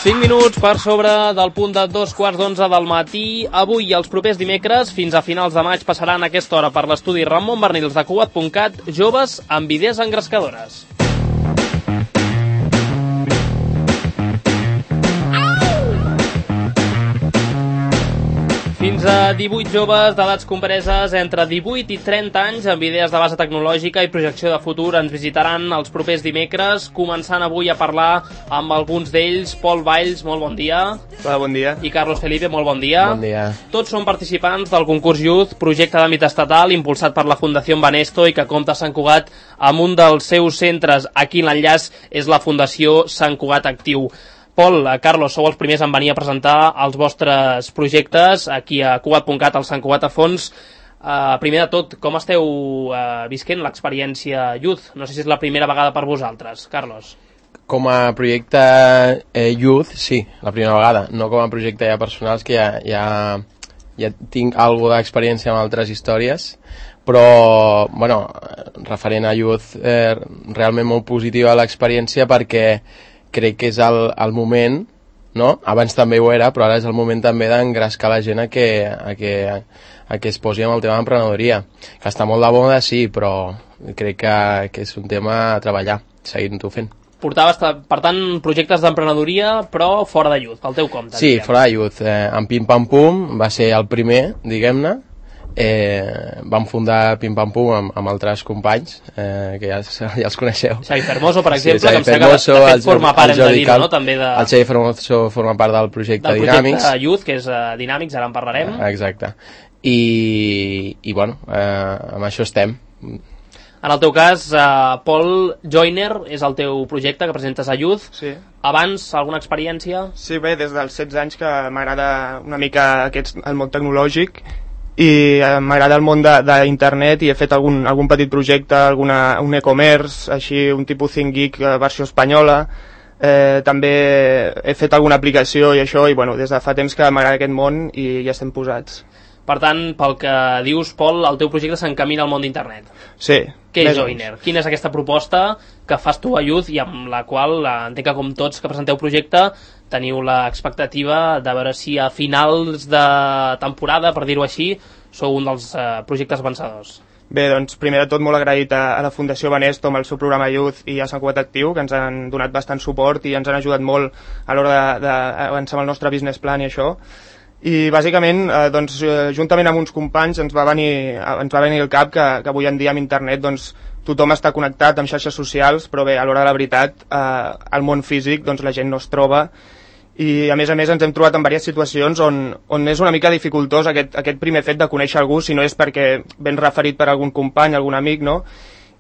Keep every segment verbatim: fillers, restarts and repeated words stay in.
cinc minuts per sobre del punt de dos quarts d'onze del matí. Avui i els propers dimecres, fins a finals de maig, passaran a aquesta hora per l'estudi Ramon Bernils de Cugat punt cat joves amb idees engrescadores. Fins a divuit joves d'edats compreses entre divuit i trenta anys amb idees de base tecnològica i projecció de futur ens visitaran els propers dimecres, començant avui a parlar amb alguns d'ells. Pol Valls, molt bon dia. Hola, bon dia. I Carlos Felipe, molt bon dia. Bon dia. Tots són participants del concurs Youth, projecte d'àmbit estatal impulsat per la Fundació Banesto i que compta a Sant Cugat amb un dels seus centres. Aquí l'enllaç és la Fundació Sant Cugat Actiu. Pol, Carlos, sou els primers en venir a presentar els vostres projectes aquí a Cugat punt cat, al Sant Cugat a Fons. Uh, primer de tot, com esteu uh, visquent l'experiència Youth? No sé si és la primera vegada per vosaltres, Carlos. Com a projecte eh, Youth, sí, la primera vegada. No com a projecte ja personals, que ja, ja, ja tinc alguna d'experiència amb altres històries, però, bueno, referent a Youth, eh, realment molt positiva l'experiència perquè crec que és el, el moment, no? Abans també ho era, però ara és el moment també d'engrescar la gent a que, a que, a que es posi amb el tema d'emprenedoria. Que està molt de moda, sí, però crec que, que és un tema a treballar, seguint-ho fent. Portaves, per tant, projectes d'emprenedoria, però fora de Youth, pel teu compte. Sí, diguem. Fora de Youth. Eh, en Pim Pam Pum va ser el primer, diguem-ne. Eh, vam fundar Pim Pam Pum amb, amb altres companys eh, que ja, ja els coneixeu. Xavi Fermoso, per exemple, sí, que em sembla que de fet forma part, hem de dir, no? També de... El Xavi Fermoso forma part del projecte del Dinàmics. projecte Youth, que és uh, Dinàmics, ara en parlarem. Exacte. I, i bueno, eh, amb això estem. En el teu cas, uh, Pol, Joiner és el teu projecte que presentes a Youth. Sí. Abans, alguna experiència? Sí, bé, des dels setze anys que m'agrada una mica aquest, el món tecnològic i eh, m'agrada el món d'internet i he fet algun, algun petit projecte, alguna, un e-commerce, així un tipus ThinkGeek eh, versió espanyola. Eh, també he fet alguna aplicació i això, i bueno, des de fa temps que m'agrada aquest món i ja estem posats. Per tant, pel que dius, Pol, el teu projecte s'encamina al món d'internet. Sí. Què és Joiner? Quina és aquesta proposta que fas tu a Youth i amb la qual eh, entenc que com tots que presenteu projecte teniu l'expectativa de veure si a finals de temporada, per dir-ho així, sou un dels eh, projectes vencedors. Bé, doncs primer de tot molt agraït a, a la Fundació Banesto amb el seu programa Youth i a Sant Cugat Actiu, que ens han donat bastant suport i ens han ajudat molt a l'hora d'avançar amb el nostre business plan i això. I bàsicament, eh, doncs, juntament amb uns companys ens va venir, ens va venir al cap que, que avui en dia amb internet doncs, tothom està connectat amb xarxes socials, però bé, a l'hora de la veritat, eh, al món físic doncs, la gent no es troba i a més a més ens hem trobat en diverses situacions on, on és una mica dificultós aquest, aquest primer fet de conèixer algú, si no és perquè ben referit per algun company, algun amic, no?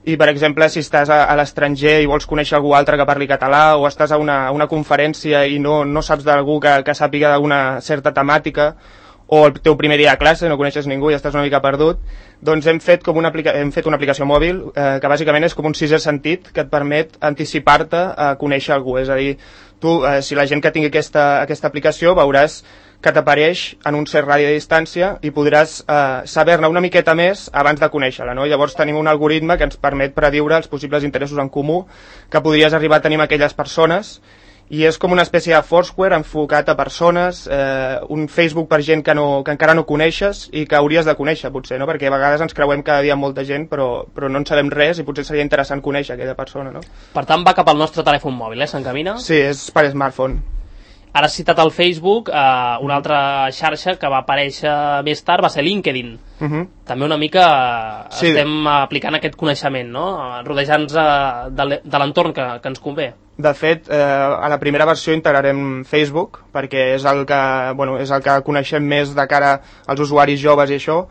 I per exemple, si estàs a, a l'estranger i vols conèixer algú altre que parli català o estàs a una, una conferència i no, no saps d'algú que, que sàpiga d'alguna certa temàtica o el teu primer dia de classe, no coneixes ningú i estàs una mica perdut, doncs hem fet, com una, hem fet una aplicació mòbil eh, que bàsicament és com un sisè sentit que et permet anticipar-te a conèixer algú. És a dir, tu, eh, si la gent que tingui aquesta, aquesta aplicació veuràs que t'apareix en un cert radi de distància i podràs eh, saber-ne una miqueta més abans de conèixer-la, no? Llavors tenim un algoritme que ens permet prediure els possibles interessos en comú que podries arribar a tenir amb aquelles persones i és com una espècie de Foursquare enfocat a persones, eh, un Facebook per gent que, no, que encara no coneixes i que hauries de conèixer potser, no? Perquè a vegades ens creuem cada dia amb molta gent però, però no en sabem res i potser seria interessant conèixer aquella persona, no? Per tant, va cap al nostre telèfon mòbil, eh? S'encamina? Sí, és per smartphone. Ara has citat el Facebook, eh, una altra xarxa que va aparèixer més tard va ser LinkedIn. Uh-huh. També una mica sí. Estem aplicant aquest coneixement, no? Rodejant-nos de, de l'entorn que, que ens convé. De fet, eh, a la primera versió integrarem Facebook, perquè és el que, bueno, és el que coneixem més de cara als usuaris joves i això,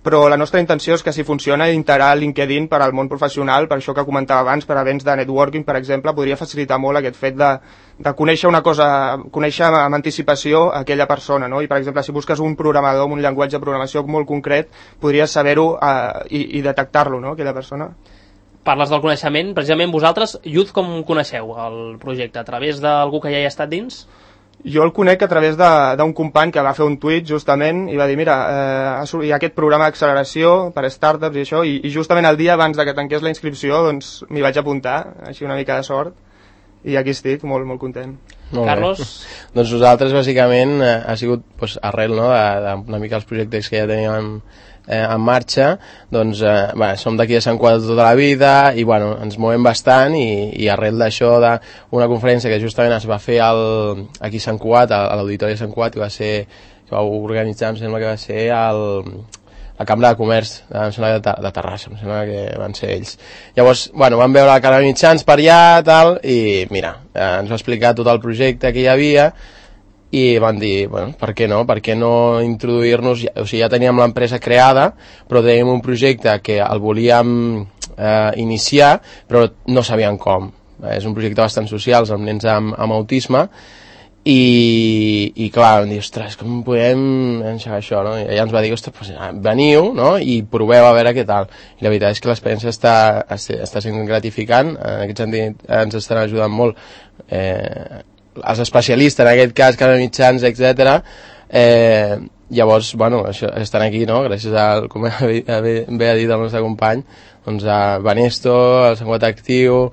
però la nostra intenció és que si funciona integrar LinkedIn per al món professional, per això que comentava abans, per a events de networking, per exemple, podria facilitar molt aquest fet de, de conèixer una cosa, conèixer amb anticipació aquella persona, no? I per exemple, si busques un programador amb un llenguatge de programació molt concret, podries saber-ho eh, i, i detectar-lo, no? Aquella persona. Parles del coneixement, precisament vosaltres, Youth, com coneixeu el projecte? A través d'algú que ja hi ha estat dins? Jo el conec a través d'un company que va fer un tuit justament i va dir, mira, eh, hi ha aquest programa d'acceleració per a startups i això, i, i justament el dia abans de que tanqués la inscripció doncs m'hi vaig apuntar, així una mica de sort, i aquí estic, molt, molt content. Carlos? Doncs nosaltres, bàsicament, eh, ha sigut pues, arrel no, de, de una mica els projectes que ja teníem eh, en marxa, doncs eh, bé, som d'aquí de Sant Cugat tota la vida i bueno, ens movem bastant i, i arrel d'això d'una conferència que justament es va fer al, aquí a Sant Cugat, a l'Auditori de Sant Cugat, que va ser, que va organitzar, em sembla que va ser el... la Cambra de Comerç, em sembla de, de Terrassa, em sembla que van ser ells. Llavors, bueno, vam veure la Cara de Mitjans per allà, tal, i mira, eh, ens va explicar tot el projecte que hi havia, i van dir, bueno, per què no? Per què no introduir-nos... O sigui, ja teníem l'empresa creada, però teníem un projecte que el volíem eh, iniciar, però no sabíem com. És un projecte bastant social, amb nens amb, amb autisme, i, i clar, vam dir, ostres, com podem enxegar això, no? I ella ens va dir, ostres, pues, veniu, no? I proveu a veure què tal. I la veritat és que l'experiència està, està sent gratificant, en aquest sentit ens estan ajudant molt eh, els especialistes, en aquest cas, Cara de Mitjans, etcètera. Eh, llavors, bueno, això, estan aquí, no? Gràcies al, com bé ha dit el nostre company, doncs a Banesto, al Sant Cugat Actiu,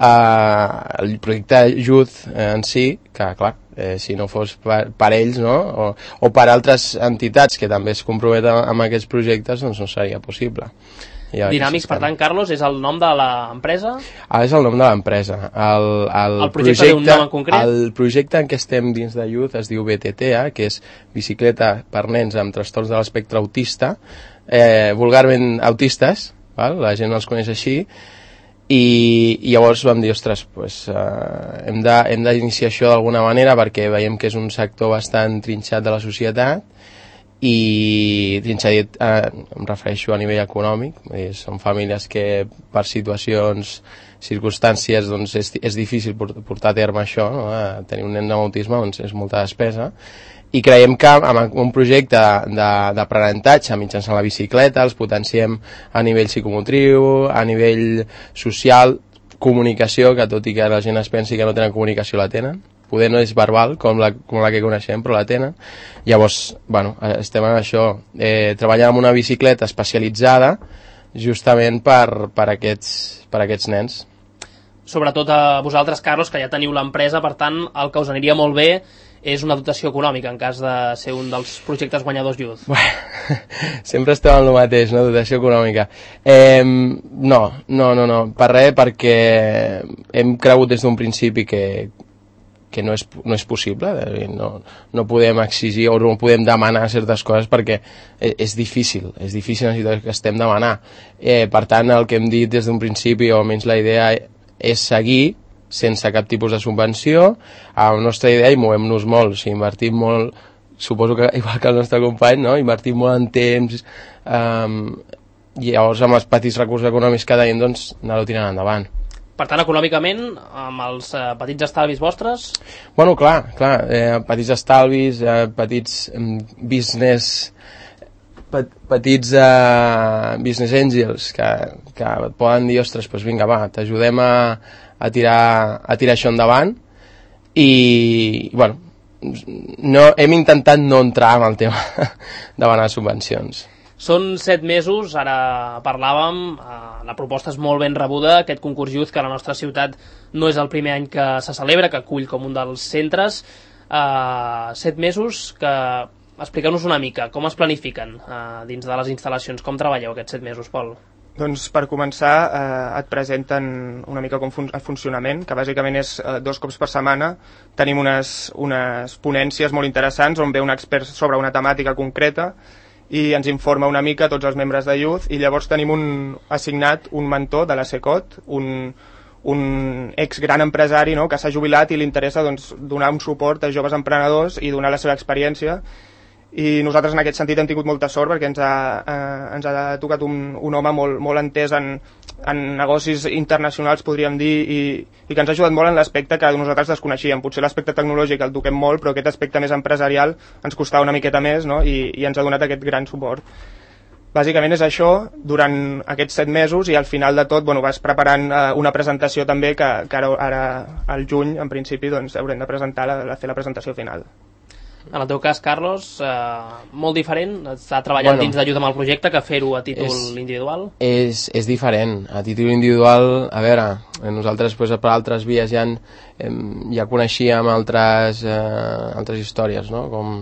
Uh, el projecte Youth eh, en si, que clar, eh, si no fos per, per ells, no? o, o per altres entitats que també es comprometen amb aquests projectes, doncs no seria possible. Dinàmics, per tant, Carlos, és el nom de l'empresa? Ah, és el nom de l'empresa. El, el, el projecte té un nom en concret? El projecte en què estem dins de Youth es diu B T T A, que és Bicicleta per nens amb trastorns de l'espectre autista, eh, vulgarment autistes, val? La gent els coneix així, i, i llavors vam dir, ostres, pues, uh, hem d'iniciar això d'alguna manera perquè veiem que és un sector bastant trinxat de la societat i trinxat, uh, em refereixo a nivell econòmic, dir, són famílies que per situacions, circumstàncies, doncs és, és difícil portar a terme això, no? Uh, tenir un nen amb autisme doncs és molta despesa. I creiem que amb un projecte d'aprenentatge mitjançant la bicicleta els potenciem a nivell psicomotriu, a nivell social, comunicació, que tot i que la gent es pensi que no tenen comunicació, la tenen. Poder no és verbal, com la, com la que coneixem, però la tenen. Llavors, bueno, estem en això, eh, treballant amb una bicicleta especialitzada justament per, per, aquests, per aquests nens. Sobretot a vosaltres, Carlos, que ja teniu l'empresa, per tant, el que us aniria molt bé és una dotació econòmica en cas de ser un dels projectes guanyadors Youth. Bueno, sempre estem en el mateix, no? Dotació econòmica. Eh, no, no, no, no, per res, perquè hem cregut des d'un principi que, que no és, no és possible, no, no podem exigir o no podem demanar certes coses perquè és difícil, és difícil la situació que estem demanant. Eh, per tant, el que hem dit des d'un principi, o almenys la idea és seguir sense cap tipus de subvenció. A la nostra idea hi movem-nos molt, o sigui, invertim molt, suposo que igual que el nostre company, no? Invertim molt en temps, um, i llavors amb els petits recursos econòmics que tenim, doncs anar-ho tirant endavant. Per tant, econòmicament, amb els eh, petits estalvis vostres? Bueno, clar, clar, eh, petits estalvis, eh, petits eh, business... Pet, petits uh, business angels que, que et poden dir, ostres, doncs vinga, va, t'ajudem a, a, tirar, a tirar això endavant i, bueno, no, hem intentat no entrar en el tema de demanar subvencions. Són set mesos, ara parlàvem, eh, la proposta és molt ben rebuda, aquest concurs Youth que a la nostra ciutat no és el primer any que se celebra, que acull com un dels centres, eh, set mesos que... Expliqueu-nos una mica, com es planifiquen eh, dins de les instal·lacions, com treballeu aquests set mesos, Pol? Doncs per començar eh, et presenten una mica com fun el funcionament, que bàsicament és eh, dos cops per setmana. Tenim unes, unes ponències molt interessants on ve un expert sobre una temàtica concreta i ens informa una mica tots els membres de Youth, i llavors tenim un, assignat un mentor de la SECOT, un, un ex gran empresari, no?, que s'ha jubilat i li interessa, doncs, donar un suport a joves emprenedors i donar la seva experiència. I nosaltres en aquest sentit hem tingut molta sort perquè ens ha, eh, ens ha tocat un, un home molt, molt entès en, en negocis internacionals, podríem dir, i, i que ens ha ajudat molt en l'aspecte que nosaltres desconeixíem. Potser l'aspecte tecnològic el toquem molt, però aquest aspecte més empresarial ens costava una miqueta més, no?, i, i ens ha donat aquest gran suport. Bàsicament és això, durant aquests set mesos, i al final de tot, bueno, vas preparant eh, una presentació també que, que ara, ara al juny, en principi, doncs, haurem de presentar la, la, fer la presentació final. En el teu cas, Carlos, eh, molt diferent? Està treballant bueno, dins d'Ajut amb el projecte que fer-ho a títol és, individual? És, és diferent. A títol individual, a veure, nosaltres pues, per altres vies ja, eh, ja coneixíem altres, eh, altres històries, no? Com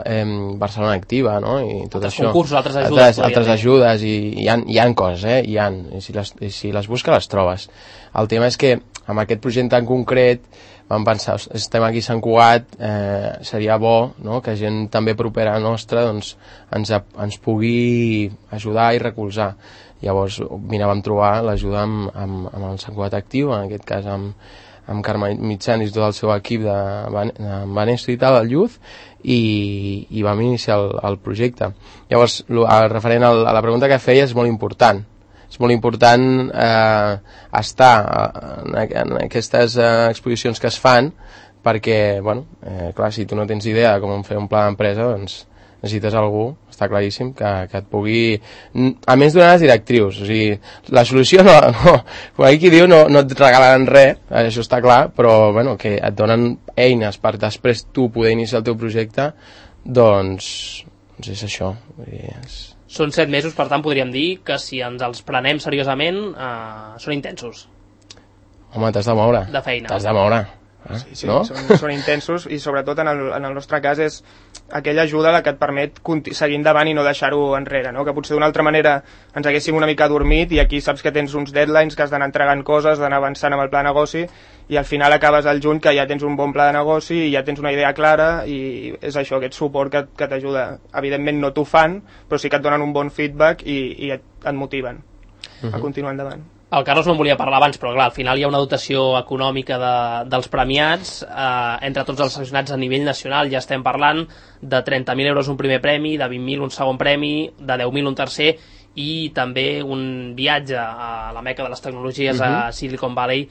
eh, Barcelona Activa, no? I tot altres això. concursos, altres ajudes. Altres, altres ajudes, i hi ha, hi ha coses, eh? Hi ha, i si les, i si les busques, les trobes. El tema és que amb aquest projecte en concret vam pensar, estem aquí a Sant Cugat, eh, seria bo, no?, que gent també propera nostra doncs, ens, ens pugui ajudar i recolzar. Llavors, mira, vam trobar l'ajuda amb, amb, amb el Sant Cugat Actiu, en aquest cas amb, amb Carme Mitjans i tot el seu equip de, de Banesto i tal, el Youth, i, i vam iniciar el, el projecte. Llavors, el referent a la pregunta que feia és molt important. És molt important eh, estar en, en aquestes eh, exposicions que es fan perquè, bueno, eh, clar, si tu no tens idea de com fer un pla d'empresa, doncs necessites algú, està claríssim, que, que et pugui... A més, donar les directrius. O sigui, la solució no... no com aquí diu, no, no et regalen res, això està clar, però bueno, que et donen eines per després tu poder iniciar el teu projecte, doncs, doncs és això. Vull dir, és... Són set mesos, per tant, podríem dir que si ens els prenem seriosament, eh, són intensos. Home, t'has de moure. De feina. T'has de moure. Eh? Sí, sí, no? són, són intensos i sobretot en el, en el nostre cas és aquella ajuda la que et permet seguir endavant i no deixar-ho enrere, no? Que potser d'una altra manera ens haguéssim una mica dormit i aquí saps que tens uns deadlines, que has d'anar entregant coses, d'anar avançant amb el pla de negoci i al final acabes al juny que ja tens un bon pla de negoci i ja tens una idea clara i és això, aquest suport que, que t'ajuda. Evidentment no t'ho fan, però sí que et donen un bon feedback i, i et, et motiven uh-huh. a continuar endavant. El Carlos no en volia parlar abans, però clar, al final hi ha una dotació econòmica de, dels premiats eh, entre tots els seleccionats a nivell nacional. Ja estem parlant de trenta mil euros un primer premi, de vint mil un segon premi, de deu mil un tercer i també un viatge a la meca de les tecnologies uh-huh. a Silicon Valley.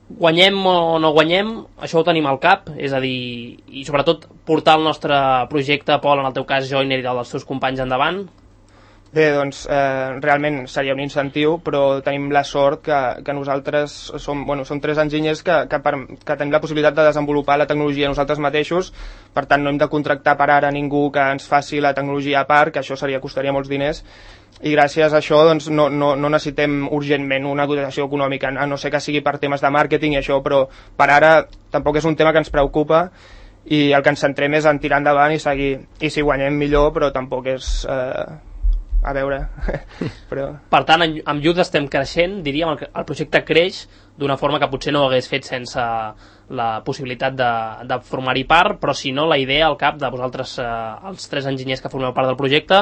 Guanyem o no guanyem, això ho tenim al cap, és a dir, i sobretot portar el nostre projecte, Pol, en el teu cas, Joiner, i dels teus companys endavant. Bé, doncs eh, realment seria un incentiu, però tenim la sort que, que nosaltres som, bueno, som tres enginyers que, que, per, que tenim la possibilitat de desenvolupar la tecnologia nosaltres mateixos, per tant no hem de contractar per ara ningú que ens faci la tecnologia a part, que això seria, costaria molts diners, i gràcies a això doncs, no, no, no necessitem urgentment una dotació econòmica, a no ser que sigui per temes de màrqueting i això, però per ara tampoc és un tema que ens preocupa i el que ens centrem és en tirar endavant i seguir, i si guanyem millor, però tampoc és... Eh, a veure però... Per tant, amb Youth estem creixent, diríem, el, el projecte creix d'una forma que potser no ho hagués fet sense la possibilitat de, de formar-hi part, però si no, la idea al cap de vosaltres, eh, els tres enginyers que formeu part del projecte,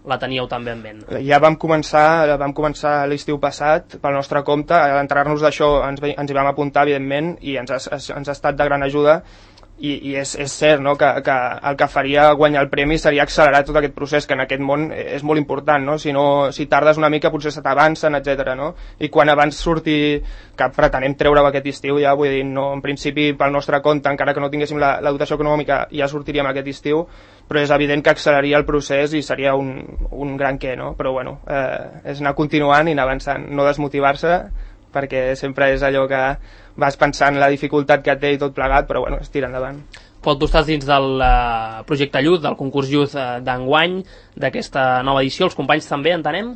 la teníeu també en ment. Ja vam començar, vam començar l'estiu passat pel nostre compte, a l'entrar-nos d'això ens, ens hi vam apuntar, evidentment, i ens ha, ens ha estat de gran ajuda. I, i és, és cert, no?, que, que el que faria guanyar el premi seria accelerar tot aquest procés, que en aquest món és molt important, no? Si, no, si tardes una mica potser se t'avancen, etcètera, no? I quan abans surti, que pretenem treure-ho aquest estiu ja, vull dir, no, en principi pel nostre compte, encara que no tinguéssim la, la dotació econòmica, ja sortiríem aquest estiu, però és evident que acceleraria el procés i seria un, un gran què, no? Però bueno, eh, és anar continuant i anar avançant, no desmotivar-se, perquè sempre és allò que vas pensant la dificultat que té i tot plegat, però bueno, es tira endavant. Pol, tu estàs dins del uh, projecte Youth, del concurs Youth uh, d'enguany, d'aquesta nova edició, els companys també, entenem?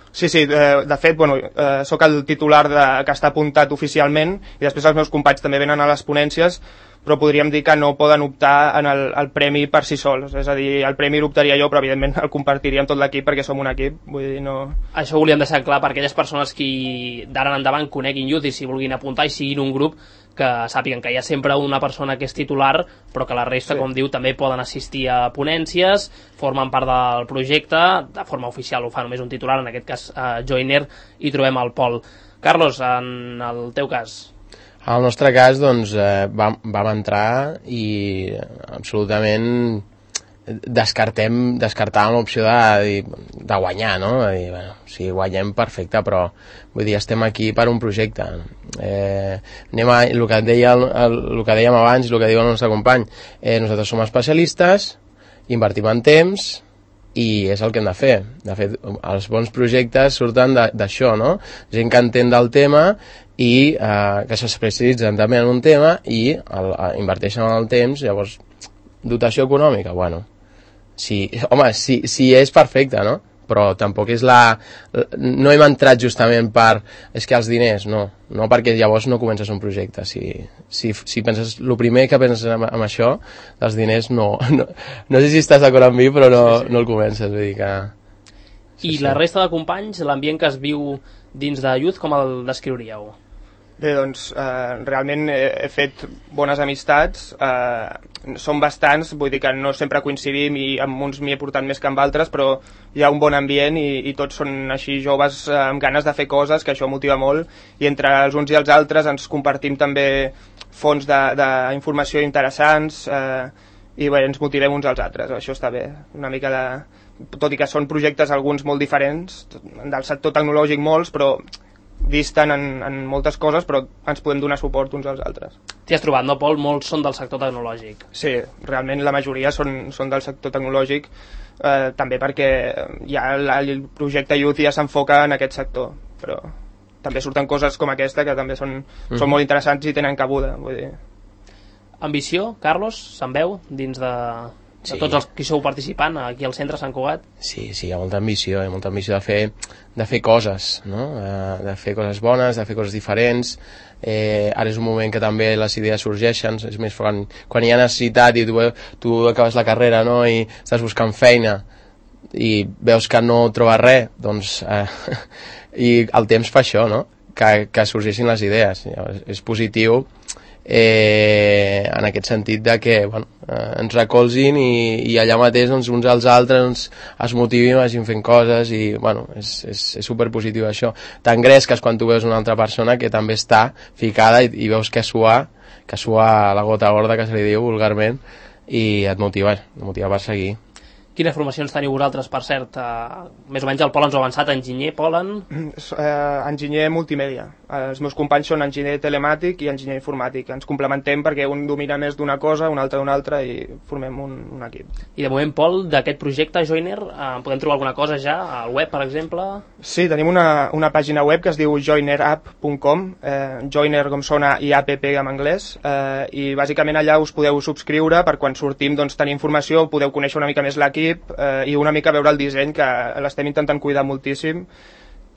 Sí, sí, eh, de fet, bueno, eh, sóc el titular de, que està apuntat oficialment i després els meus companys també venen a les ponències, però podríem dir que no poden optar en el, el premi per si sols, és a dir, el premi l'optaria jo, però evidentment el compartiria amb tot l'equip perquè som un equip, vull dir, no... Això ho volíem deixar clar per aquelles persones que d'ara en endavant coneguin Youth i si vulguin apuntar i siguin un grup que sàpiguen que hi ha sempre una persona que és titular, però que la resta, sí, com diu, també poden assistir a ponències, formen part del projecte, de forma oficial ho fa només un titular, en aquest cas a Joiner, i trobem el Pol. Carlos, en el teu cas... En el nostre cas, doncs, eh, vam, vam entrar i absolutament descartem, descartàvem l'opció de, de guanyar, no? De dir, bueno, si guanyem, perfecte, però vull dir, estem aquí per un projecte. Eh, anem a, el, que deia, el, el, el que dèiem abans i el que diu el nostre company, eh, nosaltres som especialistes, invertim en temps i és el que hem de fer. De fet, els bons projectes surten d'això, no? Gent que entén del tema i eh, que s'especialitzen també en un tema i el, inverteixen en el temps, llavors dotació econòmica, bueno, sí, home, sí, sí és perfecta, no? Però tampoc és la... No hem entrat justament per... És que els diners, no. No, perquè llavors no comences un projecte. Si, si, si penses... El primer que penses amb, amb això, els diners, no, no... No sé si estàs d'acord amb mi, però no, sí, sí. no el comences. Vull dir que... Sí, I sí. La resta de companys, l'ambient que es viu dins de Youth, com el descriuríeu? Bé, doncs, eh, realment he, he fet bones amistats, eh, són bastants, vull dir que no sempre coincidim i amb uns m'hi he portat més que amb altres, però hi ha un bon ambient i, i tots són així joves eh, amb ganes de fer coses, que això motiva molt, i entre els uns i els altres ens compartim també fonts d'informació interessants eh, i bé, ens motivem uns als altres, això està bé, una mica de... Tot i que són projectes alguns molt diferents, del sector tecnològic molts, però disten en, en moltes coses, però ens podem donar suport uns als altres. T'hi has trobat, no, Pol? Molts són del sector tecnològic. Sí, realment la majoria són, són del sector tecnològic, eh, també perquè ja la, el projecte Youth ja s'enfoca en aquest sector, però també surten coses com aquesta que també són, mm. són molt interessants i tenen cabuda. Vull dir. Ambició, Carlos, se'n veu dins de... de sí. Tots els que sou participant aquí al centre Sant Cugat? Sí, sí, hi ha molta ambició, hi ha molta ambició de fer, de fer coses, no? De fer coses bones, de fer coses diferents. Eh, ara és un moment que també les idees sorgeixen, és més quan, quan hi ha necessitat i tu, tu acabes la carrera, no? I estàs buscant feina i veus que no trobes res, doncs eh, i el temps fa això, no? Que, que sorgeixin les idees. Llavors, és positiu eh, en aquest sentit de que bueno, eh, ens recolzin i, i allà mateix doncs, uns als altres doncs, es motivin, vagin fent coses i bueno, és, és, és superpositiu això. T'engresques quan tu veus una altra persona que també està ficada i, i veus que sua, que sua la gota gorda que se li diu vulgarment i et motiva, et motiva per seguir. Quines formacions teniu vosaltres, per cert? Uh, més o menys el Pol ens ho ha avançat, enginyer, Polen? Uh, enginyer multimèdia. Uh, els meus companys són enginyer telemàtic i enginyer informàtic. Ens complementem perquè un domina més d'una cosa, un altre d'una altra i formem un, un equip. I de moment, Pol, d'aquest projecte Joiner, uh, podem trobar alguna cosa ja al web, per exemple? Sí, tenim una, una pàgina web que es diu joiner app punt com, eh, Joiner com sona i app en anglès, eh, i bàsicament allà us podeu subscriure per quan sortim doncs, tenir informació, podeu conèixer una mica més l'equip, Eh, i una mica veure el disseny, que l'estem intentant cuidar moltíssim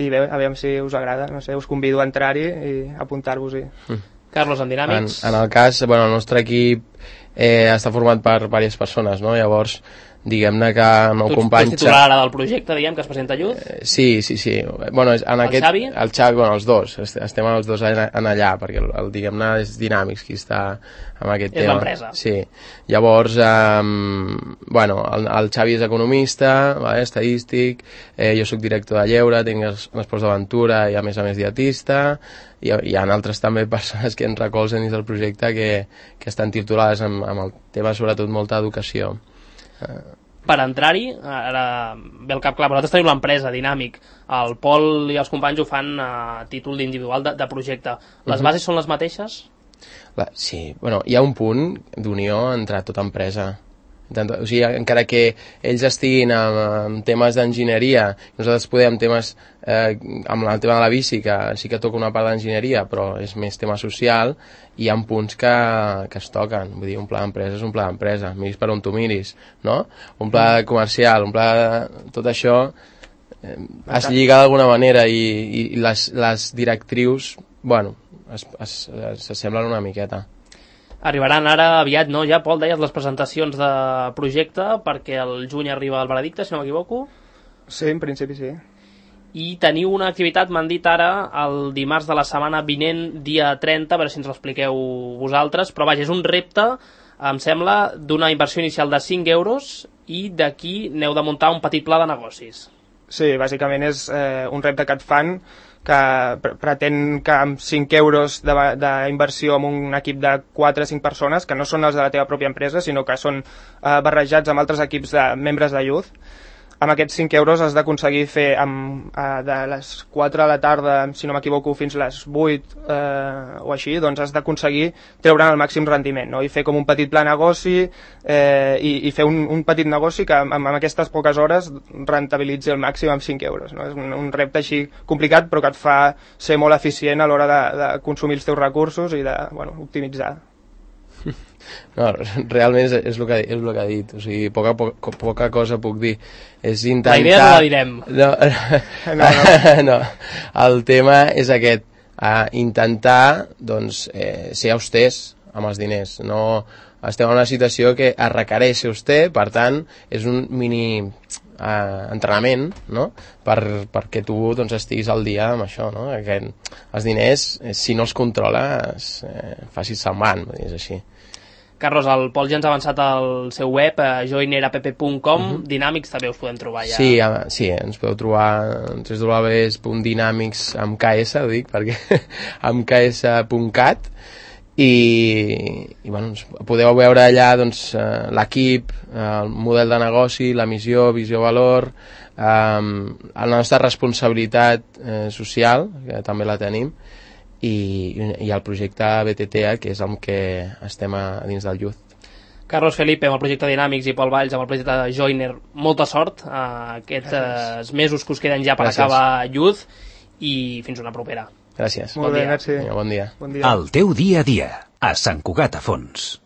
i bé, a veure si us agrada, no sé, us convido a entrar-hi i apuntar-vos-hi. Mm. Carlos, en Dinàmics? En, en el cas, bueno, el nostre equip eh, està format per diverses persones, no? Llavors, diguem-ne que el meu tu, company... Tu ets titular ara del projecte, diguem, que es presenta a Youth? Eh, sí, sí, sí. Bueno, en el aquest, Xavi? El Xavi, bueno, els dos. Estem els dos en, en allà, perquè el, el diguem-ne és Dinàmics qui està amb aquest és tema. És l'empresa. Sí. Llavors, eh, bueno, el, el Xavi és economista, vale, estadístic, eh, jo sóc director de lleure, tinc els, els esports d'aventura i a més a més dietista, i hi ha altres també persones que ens recolzen dins del projecte que, que estan titulades amb, amb el tema sobretot molta educació. Per entrar-hi, ara ve el cap clar, vosaltres teniu l'empresa Dinàmic, el Pol i els companys ho fan a títol d'individual de, de projecte. Les uh-huh. bases són les mateixes? La, sí, bueno, hi ha un punt d'unió entre tota empresa. O sigui, encara que ells estiguin amb, amb temes d'enginyeria, nosaltres podem temes eh, amb el tema de la bici, que sí que toca una part d'enginyeria, però és més tema social, i hi ha punts que, que es toquen. Vull dir, un pla d'empresa és un pla d'empresa, miris per on tu miris, no? Un pla comercial, un pla de... Tot això eh, es lliga d'alguna manera i, i les, les directrius, bueno, s'assemblen una miqueta. Arribaran ara aviat, no? Ja, Pol, deies les presentacions de projecte perquè el juny arriba el veredicte, si no m'equivoco? Sí, en principi sí. I teniu una activitat, m'han dit ara, el dimarts de la setmana vinent, dia trenta, a veure si ens l'expliqueu vosaltres, però vaja, és un repte, em sembla, d'una inversió inicial de cinc euros i d'aquí n'heu de muntar un petit pla de negocis. Sí, bàsicament és eh, un repte que et fan que pretén que amb cinc euros d'inversió en un equip de quatre o cinc persones, que no són els de la teva pròpia empresa, sinó que són eh, barrejats amb altres equips de membres de Youth, amb aquests cinc euros has d'aconseguir fer amb, eh, de les quatre de la tarda, si no m'equivoco, fins les vuit eh, o així, doncs has d'aconseguir treure'n el màxim rendiment, no? I fer com un petit pla negoci eh, i, i fer un, un petit negoci que amb, amb aquestes poques hores rentabilitzi el màxim amb cinc euros, no? És un, un repte així complicat, però que et fa ser molt eficient a l'hora de, de consumir els teus recursos i de, bueno, optimitzar. No, realment és, és, el que, és el que ha dit, o sigui, poca, poca, poca cosa puc dir. És intentar... La idea no la direm. No, no, no. no. El tema és aquest, uh, intentar doncs, eh, ser austers amb els diners. No, estem en una situació que es requereix ser auster, per tant, és un mini uh, entrenament, no? per, perquè tu doncs, estiguis al dia amb això, no? Que els diners, eh, si no els controles, eh, facis se'n van, és així. Carlos, el Pol ja ens ha avançat al seu web, a joiner app punt com, uh -huh. Dinàmics també us podem trobar ja. Sí, sí, ens podeu trobar en w w w punt dinàmics amb K S, ho dic, perquè amb K S punt cat, i, i bueno, podeu veure allà doncs, l'equip, el model de negoci, la missió, visió, valor, eh, la nostra responsabilitat eh, social, que també la tenim, i, i el projecte B T T A, que és amb què estem a dins del Youth. Carlos Felipe amb el projecte Dinàmics i Pol Valls amb el projecte de Joiner, molta sort a aquests mesos que us queden ja per Gràcies. acabar Youth, i fins una propera. Gràcies. Molt bon bé, dia. merci. Vinga, bon dia. Bon dia. El teu dia a dia, a Sant Cugat a Fons.